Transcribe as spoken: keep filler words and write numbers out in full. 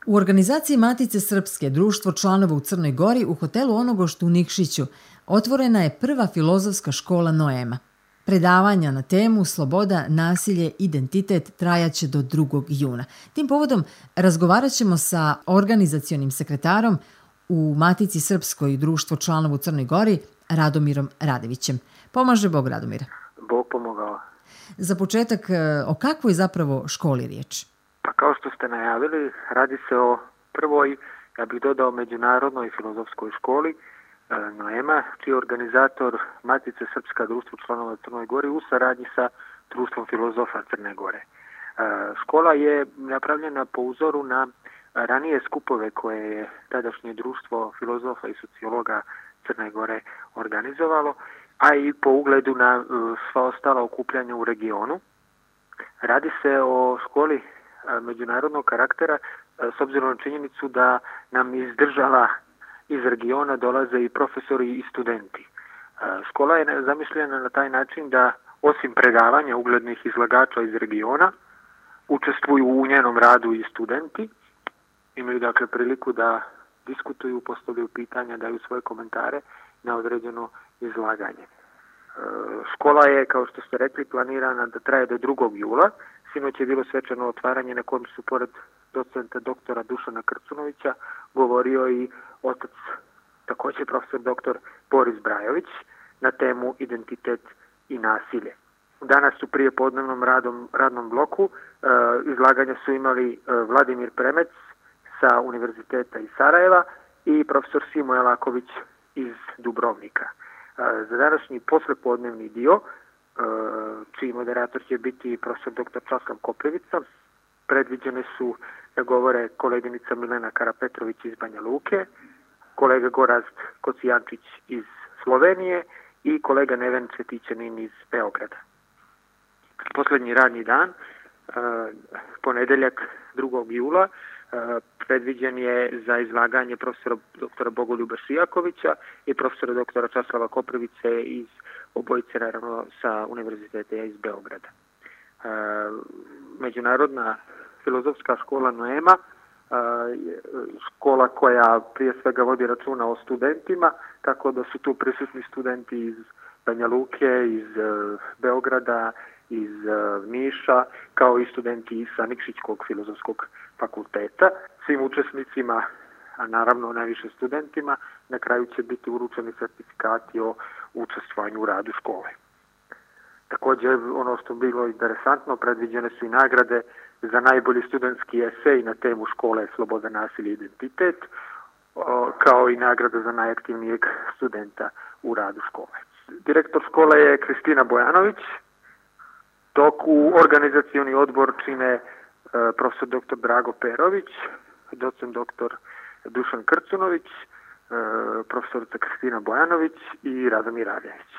U organizaciji Matice Srpske, društvo članova u Crnoj Gori, u hotelu Onogošt u Nikšiću, otvorena je prva filozofska škola Noema. Predavanja na temu Sloboda, nasilje, identitet trajaće do drugog juna. Tim povodom razgovarat ćemo sa organizacionim sekretarom u Matici Srpskoj, društvo članova u Crnoj Gori, Radomirom Radevićem. Pomaže Bog, Radomire. Bog pomogao. Za početak, o kakvoj zapravo školi riječ? Pa kao što ste najavili, radi se o prvoj, ja bih dodao, međunarodnoj filozofskoj školi Noema, čiji je organizator Matice Srpska, društvo članova u Crnoj Gori u saradnji sa društvom filozofa Crne Gore. Škola je napravljena po uzoru na ranije skupove koje je tadašnje društvo filozofa i sociologa Crne Gore organizovalo, a i po ugledu na sva ostala okupljanja u regionu. Radi se o školi međunarodnog karaktera s obzirom na činjenicu da nam iz država iz regiona dolaze i profesori i studenti. Škola je zamišljena na taj način da osim predavanja uglednih izlagača iz regiona učestvuju u njenom radu i studenti. Imaju dakle priliku da diskutuju, postavljaju pitanja, daju svoje komentare na određeno izlaganje. Škola je, kao što ste rekli, planirana da traje do drugog jula. Sinoć je bilo svečano otvaranje na kojem su pored docenta doktora Dušana Krcunovića govorio i otac, također profesor doktor Boris Brajović, na temu identitet i nasilje. Danas u prijepodnevnom radom, radnom bloku e, izlaganja su imali e, Vladimir Premec sa Univerziteta iz Sarajeva i profesor Simo Jelaković iz Dubrovnika. E, za današnji poslepodnevni dio, e, čiji moderator će biti profesor doktor Časlav Koprivica, predviđene su da govore koleginica Milena Karapetrović iz Banja Luke, kolega Gorazd Kocijančić iz Slovenije i kolega Neven Cvetićanin iz Beograda. Posljednji radni dan, ponedeljak drugog jula, predviđen je za izlaganje profesora doktora Bogoljuba Šijakovića i profesora doktora Časlava Koprivice iz obojice, naravno, sa Univerziteta iz Beograda. Međunarodna filozofska škola Noema, škola koja prije svega vodi računa o studentima, tako da su tu prisutni studenti iz Banja Luke, iz Beograda, iz Niša, kao i studenti sa Nikšićkog filozofskog fakulteta. Svim učesnicima, a naravno najviše studentima, na kraju će biti uručeni sertifikati o učestvovanju u radu škole. Također, ono što je bilo interesantno, predviđene su i nagrade za najbolji studentski esej na temu škole Sloboda, nasilje, identitet, kao i nagrada za najaktivnijeg studenta u radu škole. Direktor škole je Kristina Bojanović, dok u organizacioni odbor čine profesor doktor Drago Perović, docent doktor Dušan Krcunović, profesorica Kristina Bojanović i Radomir Radević.